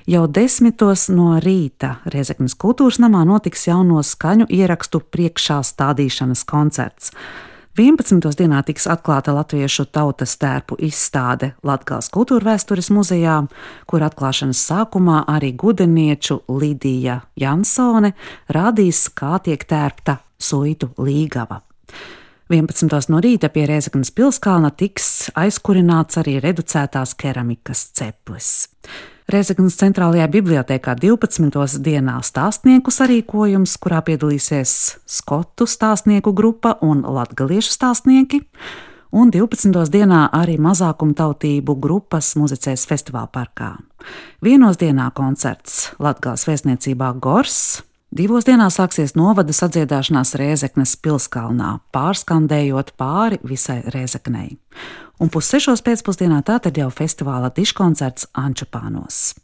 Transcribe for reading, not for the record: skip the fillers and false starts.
Jau 10 no rīta Rēzeknes kultūras namā notiks jauno skaņu ierakstu priekšā stādīšanas koncerts. 11. dienā tiks atklāta latviešu tautas tērpu izstāde Latgales kultūrvēstures muzejā, kur atklāšanas sākumā arī gudenieču Lidija Jansone rādīs, kā tiek tērpta suitu līgava. 11. no rīta pie Rēzeknes pilskalna tiks aizkurināts arī reducētās keramikas ceplis. Rēzeknes centrālajā bibliotēkā 12. dienā stāstnieku sarīkojums, kurā piedalīsies skotu stāstnieku grupa un latgaliešu stāstnieki, un 12. dienā arī mazākumtautību grupas muzicēs festivāla parkā. 1. dienā koncerts Latgales vēstniecībā Gors, 2. dienā sāksies novada sadziedāšanās Rēzeknes pilskalnā, pārskandējot pāri visai Rēzeknei. Un 5:30 pēcpusdienā tātad jau festivāla diškoncerts Ančupānos.